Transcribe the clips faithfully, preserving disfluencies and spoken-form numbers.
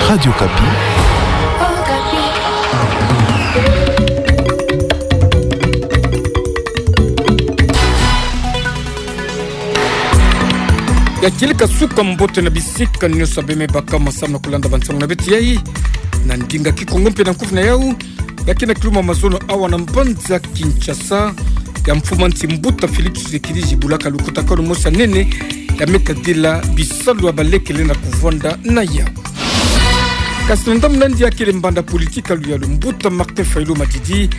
Radio Okapi. Ya kieleka suka mbote na bisika nyonso beme baka masamu na kulanda bansangu na beto yai na ndinga Kikongo mpe na nkufi na yau. Ya kena kiluma mazono awa na mbanza Kinshasa, ya mfumu a nsi mbuta Félix Tshisekedi zibulaka lukutakanu mosi ya nene ya me tadila bisalu ya baleke lenda kuvwanda na yau. Kasi na ndambu nandi ya kele mbanda politique ya luyalu, mbuta Martin Fayulu Madidi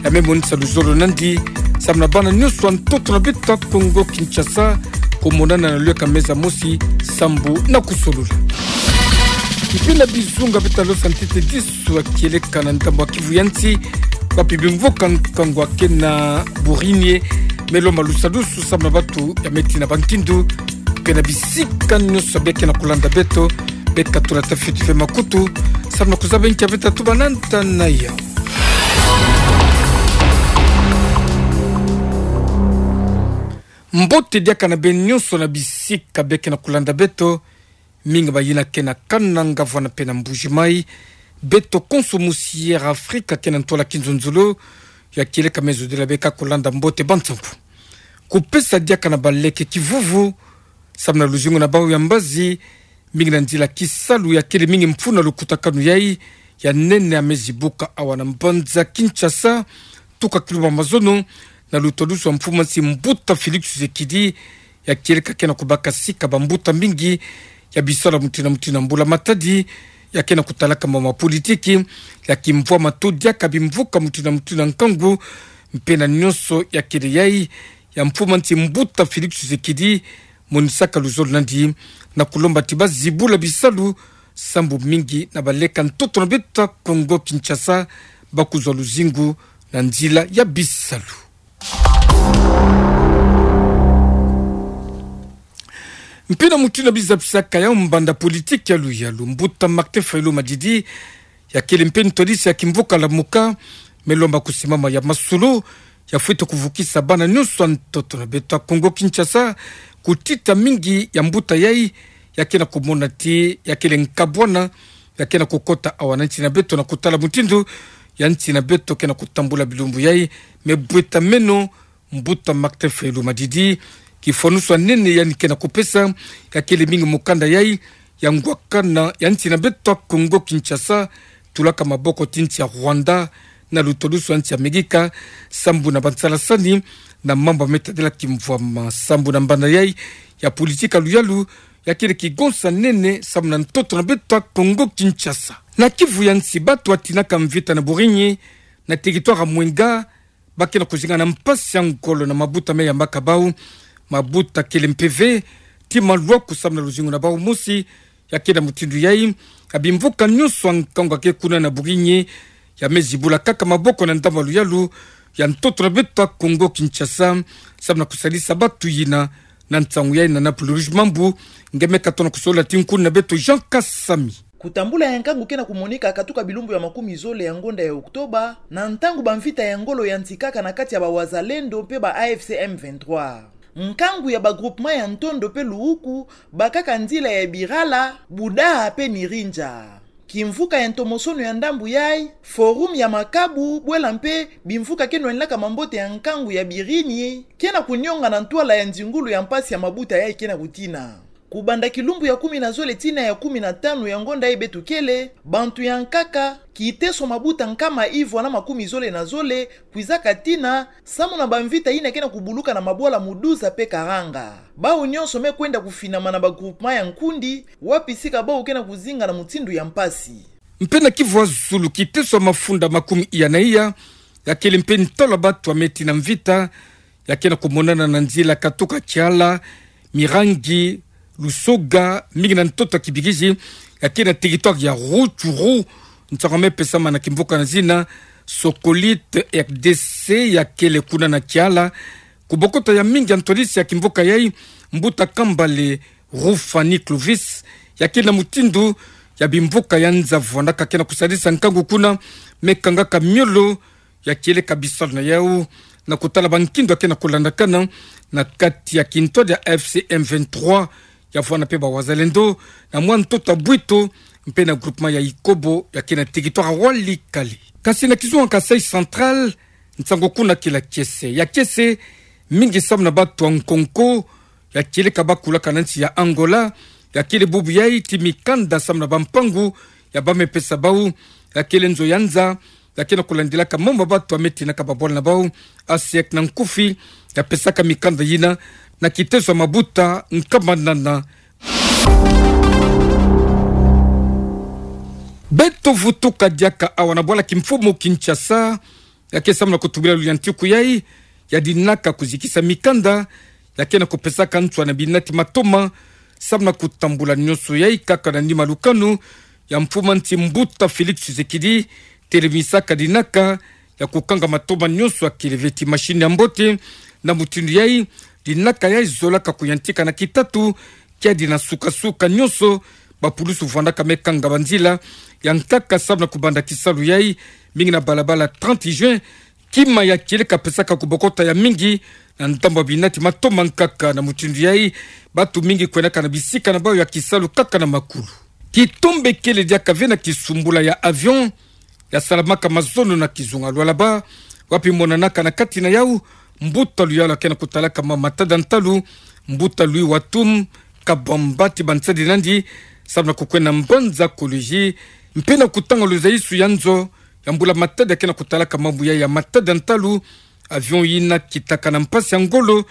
ya me monisa luzolo nandi samu na bana nyonso ya ntoto na beto ya Kongo Kinshasa kumonana na luyaka meza mosi sambu na kusolula. Mpe na bizunga beto talosa ntete disu ya kieleka na ndambu ya Kivu ya nsi, wapi bimvuka nkangu ya kena burinie me lomba lusadusu samu na bato ya me tina bankindu. Mpe na bisika nyonso beke na kulanda beto, beka tula tafiti mpe makutu samu na kuzaba nki ya beta tubananta na yau. Mbote diaka na beno nyonso na bisika beke na kulanda beto, mingi bayina ke na Kananga, Mvwana mpe na Mbuji-Mayi. Beto konso musi Air Afrika ke na ntwala kinzonzolo ya kieleka me zodila beka kulanda mbote bansangu. Kupesa diaka na baleke kivuvu samu na luzingu na bau ya mbazi, mingi na nzila kisalu ya kele mingi mfunu na lukutakanu yai ya nene ya me zibuka awa na mbanza Kinshasa, tuka kiluma mazono na lutodusu ya mfumu a nsi mbuta Félix Tshisekedi, ya kieleka ke na kubaka sika bambuta mingi ya bisalu ya mutindu na mutindu, mbula-matadi ya ke na kutalaka mambu ma politiki, ya kimvwama to diaka bimvuka mutindu na mutindu ya nkangu. Mpe na nyonso ya kele yai, ya mfumu a nsi mbuta Félix Tshisekedi monisaka luzolo nandi na kulomba ti bazibula bisalu sambu mingi na baleke ya ntoto na beto ya Kongo Kinshasa bakuzwa luzingu na nzila ya bisalu. Mpe na mutindu ya bizabisaka ya mbanda politique ya luyalu, mbuta Martin Fayulu Madidi ya kele mpe ntwadisi ya kimvuka Lamuka me lomba kusimama ya masolo ya fwete kuvukisa bana nyonso ya ntoto na beto ya Kongo Kinshasa, kutita mingi ya mbuta yai ya ke na kumona ti ya kele nkabwana ya ke na kukota awa na nsi na beto na kutala mutindu ya nsi na beto ke na kutambula bilumbu yai me bweta meno. Mbuta Martin Fayulu Madidi, kifwanusu ya nene yandi ke na kupesa ya kele mingi mukanda yai ya ngwakana ya nsi na beto ya Kongo Kinshasa tulaka maboko ti nsi ya Rwanda na lutodusu ya nsi ya Mexique, sambu na bansalasani na mambu ya me tadila kimvwama, sambu na mbanda yai ya politique ya luyalu ya kele kigonsa nene samu na ntoto na beto ya Kongo Kinshasa. Na Kivu ya nsi, bato batinaka mvita na buringi na territoire ya Mwenga ba ke na kuzinga na mpasi ya ngolo na mabuta me yambaka bau. Mabuta kele mpeve ti malwaku samu na luzingu na bau mosi. Ya ke na mutindu yai, ya bimvuka nyonso ya nkangu ya ke kuna na buringi ya me zibula kaka maboko na ndambu ya luyalu ya ntoto na beto ya Kongo Kinshasa, samu na kusalisa bato yina. Na nsangu yai na Napoli Rouge Mambu, nge me katono kusolola ti nkuna na beto Jean Kasami. Kutambula ya nkangu ke na kumonika katuka bilumbu ya makumi zole ya ngonda ya Oktoba, na ntangu bamvita ya ngolo yantikaka na kati ya ba Wazalendo mpe ba A F C M vingt-trois. Nkangu ya ba groupement ya Ntondo mpe Luuku bakaka nzila ya Birala, Budaha mpe Nirinja. Kimvuka ya ntomosono ya ndambu yai, forum ya makabu, bwela mpe bimvuka ke nwanilaka mambote ya nkangu ya birini, ke na kunionga na ntwala ya nzingulu ya mpasi ya mabuta yai ke na kutina. Kubanda kilumbu ya kumi na zole tii na ya kumi na tanu ya ngonda yai beto kele, bantu ya nkaka, kiteso mabuta nkama ivwa na makumi zole na zole, kwizaka tina, samu na bamvita yina ke na kubuluka na mabwala Muduza mpe Karanga. Bau nyonso me kwenda kufinama na ba groupement ya nkundi, wapi sika bau ke na kuzinga na mutindu ya mpasi. Mpe na Kivu ya Zulu, kiteso ya mafunda makumi iya na iya, ya kele mpe ntwala bato ya me tina mvita, ya ke na kumonana na nzila katuka Kiala, Mirangi, Lusoga, mingi na ntoto ya Kibirizi, ya ke na territoire ya Rutshuru. Nsangu ya me pesama na kimvuka na zina Sokolite R D C, ya kele kuna na Kiala. Kubokota ya mingi ya ntwadisi ya kimvuka yai, mbuta Kambale Rufani Clovis, ya ke na mutindu ya bimvuka ya nza vwandaka ke na kusalisa nkangu kuna, me kangaka miolo ya kieleka bisalu na yau, na kutala bankindu ya ke na kulandakana na kati ya kintwadi ya A F C M vingt-trois, ya vwanda mpe ba Wazalendo, na mwa ntoto ya bwito mpe na groupement ya Ikobo, ya ke na territoire ya Walikale. Kasi na kizunga Kasaï Central, nsango kuna kila kiese. Ya kiese, mingi samu na batu ya nkonko, ya kieleka bakulaka na nsi ya Angola, ya kele bubu yayi ti mikanda samu na bampangu, ya bamepesa bau, ya kele nzo ya nza, ya ke na kulandilaka mambu ya batu ya me tinaka babwala na bau, ASEC na nkufi, ya pesaka mikanda yina, na kiteso ya mabuta, nkama nana. Beto vutuka diaka awa na bwala kimfumu Kinshasa, ya ke samu na kutubila luyantiku yayi, ya dinaka kuzikisa mikanda, ya ke na kupesaka nswa na binati matoma, samu na kutambula nyonso yayi kaka na nima lukanu, ya mfumu ya nsi mbuta Félix Tshisekedi, telemisaka dinaka, ya kukanga matoma nyonso ya kele veti machine ya mbote, na mutindu yayi, dinaka yayi zolaka kuyantika na kitatu, kiadi na suka-suka nyonso, bapulusu vwandaka me kanga banzila, ya nkaka samu na kubanda kisalu yayi, mingi na balabala trente juin, kima ya kieleka pesaka kubokota ya mingi, na ndambu ya binati matoma nkaka na mutindu yayi, batu mingi kwendaka na bisika na bau ya kisalu kaka na makulu. Kitombe kele diaka ve na kisumbula ya avion, ya salamaka mazono na kizunga Lualaba, wapi monanaka na kati na yau, mbuta luyalu ya ke na kutalaka ma matadi ya ntalu, mbuta Louis Watum, kabamba ti bansadi nandi, samu na kukwenda mbanza College, mpe na kutanga luzayisu ya nzo, ya mbula matadi ya ke na kutalaka mambu yayi ya matadi ya ntalu, avion yina kitaka na mpasi ya ngolo,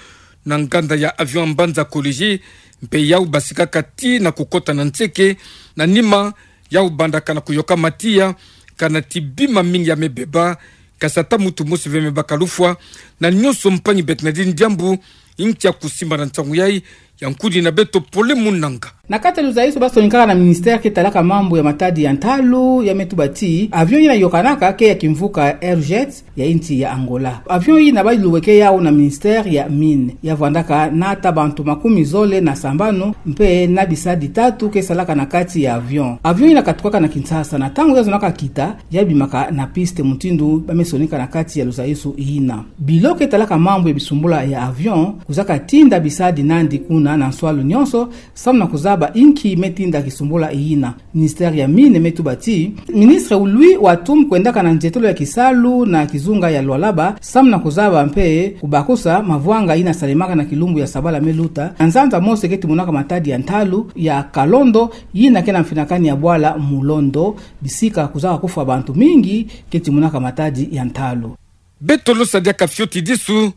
na nganda ya avion ya mbanza College, mpe yau basikaka tii na kukota na nseke, na nima, yau bandaka na kuyoka matiya, kana ti bima mingi ya me beba, kasi ata mutu mosi ve me baka lufwa, na nyonso mpangi beto nadi diambu, inki ya kusimba na nsangu yayi, ya nkudi na beto Pole Munanga. Na kati ya luzayisu basonikaka na ministère ke talaka mambu ya matadi ya ntalu, ya me tuba ti, avion yina yokanaka ke ya kimvuka Airjet, ya insi ya Angola. Avion yina balubeke yau na ministère ya Mines. Ya vwandaka na ata bantu makumi zole na sambanu, mpe na bisadi tatu ke salaka na kati ya avion. Avion yina katukaka na Kinshasa, na ntangu ya zonaka kita, ya bimaka na piste mutindu ba me sonika na kati ya luzayisu yina. Bilo ke talaka mambu ya bisumbula ya avion, kuzaka tinda bisadi nandi kuna na nswalu nyonso, samu na kuzaba inki me tinda kisumbula yina. Ministère ya Mines me tuba ti, ministre Louis Watum kwendaka na nzietolo ya kisalu na kizunga ya Lualaba, samu na kuzaba mpe kubakusa mavwanga yina salemaka na kilumbu ya sabala me luta, na nzanza mosi ke timonaka matadi ya ntalu ya Kalondo, yina ke na mfinakani ya bwala Mulondo, bisika kuzaka kufwa bantu mingi ke timonaka matadi ya ntalu. Beto losa diaka fioti disu,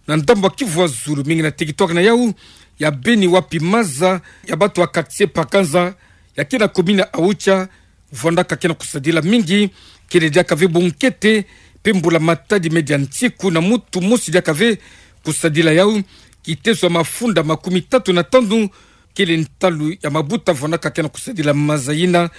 na ndambu ya kivwa zulu mingi na territoire na yau ya Beni wapi maza ya batu ya quartier Pakanza, ya ke na commune ya Aocha, vwandaka ke na kusadila mingi, kele diaka ve bunkete, mpe mbula matadi me dia nsiku na mutu mosi diaka ve kusadila yau, kiteso ya mafunda makumi tatu na tanu, kele ntalu ya mabuta vwandaka ke na kusadila maza yina,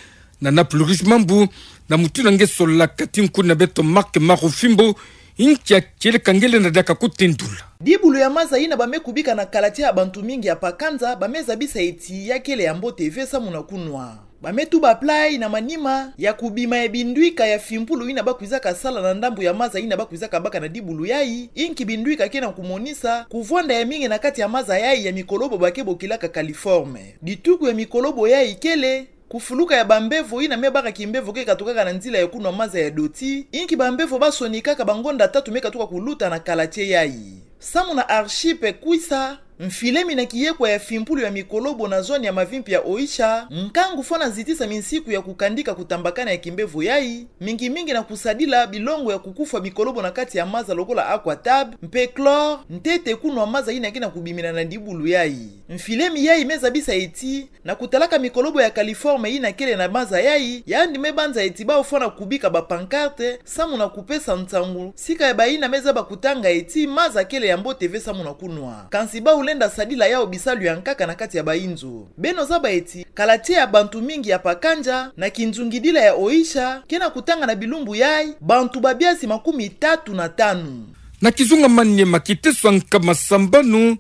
na Naples Rouge Mambu, na mutindu nge solaka ti nkuni na beto Marc Marofimbo, inki ya kieleka nge lenda diaka kutendula. Dibulu ya maza yina ba me kubika na kalatia ya bantu mingi ya Pakanza, ba me zabisa eti ya kele ya mbote ve samu na kunwa. Ba me tuba plan yayi na manima ya kubima ya bindwika ya fimpulu yina ba kwizaka sala na ndambu ya maza yina ba kwizaka baka na dibulu yayi, inki bindwika ke na kumonisa kuvwanda ya mingi na kati ya maza yayi ya mikolobo ba ke bokilaka coliforme. Dituku ya mikolobo yayi kele, kufuluka ya bambevo yina me baka kimbevo ke katukaka na nzila ya kunwa maza ya doti, inki bambevo ba sonikaka bangonda tatu me katuka kuluta na kalatie yayi. Samu na Archipe Kwisa, mfilemi na kiyekwa ya fimpulu ya mikolobo na zone ya mavimpi ya Oicha, nkangu fwana zitisa minsiku ya kukandika kutambakana ya kimbevo yayi, mingi mingi na kusadila bilongo ya kukufwa mikolobo na kati ya maza lokola aquatab, mpe chlore, ntete kunwa maza yina ke na kubimina na dibulu yayi. Mfilemi yayi me zabisa eti, na kutalaka mikolobo ya coliforme yina kele na maza yayi, yandi me banza eti bau fwana kubika ba pancarte, samu na kupesa nsangu, sika ya bayina me zaba kutanga eti maza kele ya mbote ve samu na kunwa. Kansi bau lenda sadila yau bisalu ya nkaka na kati ya bayinzo. Beno zaba eti, kalatie ya bantu mingi ya Pakanza, na kinzungidila ya Oicha, ke na kutanga na bilumbu yayi, bantu ba biasi makumi tatu na tanu. Na kizunga Maniema kiteso ya nkama sambanu,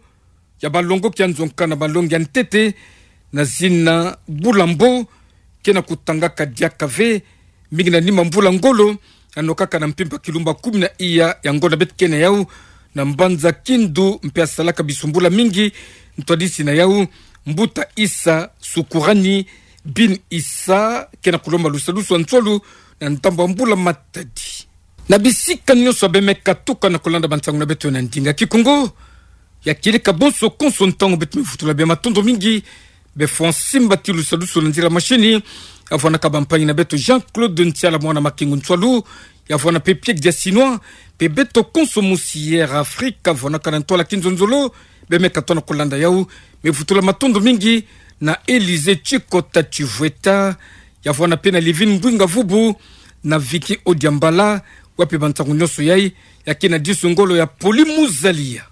ya balongoki ya nzonka na balongi ya ntete, na zina Bulambo, ke na kutangaka diaka ve, mingi na nima mvula ngolo, anokaka na mpimpa kilumbu kumi na iya ya ngonda beto ke na yau, na mbanza Kindu mpe asalaka bisumbula mingi, ntwadisi na yau, mbuta Issa Sukurani, Bin Issa, ke na kulomba lusadusu ya ntwalu na ndambo ya mbula matadi. Na bisika nyonso bemeka tuka na kulanda bansangu na beto na ndinga Kikongo, ya kieleka bonso konso ntangu beto mevutula bia matondo mingi, be fwa nsimbati lusadusu na nzila mashini, ya vwanaka bampangi na beto Jean-Claude Ntiala mwana Makengo Ntwalu, ya vwana pe Pierre Diasinois, pe beto konso mosi Air Afrique, ya vwanaka na ntwala kinzonzolo, bemeka tona kulanda yau, mevutula matondo mingi, na Élysée Tshikota Tshivweta, ya vwana pe na Livine Mbwinga Vubu, na Vicky Odiambala, wapi bansangu nyonso yai, ya kina disu ngolo ya Poli Muzalia.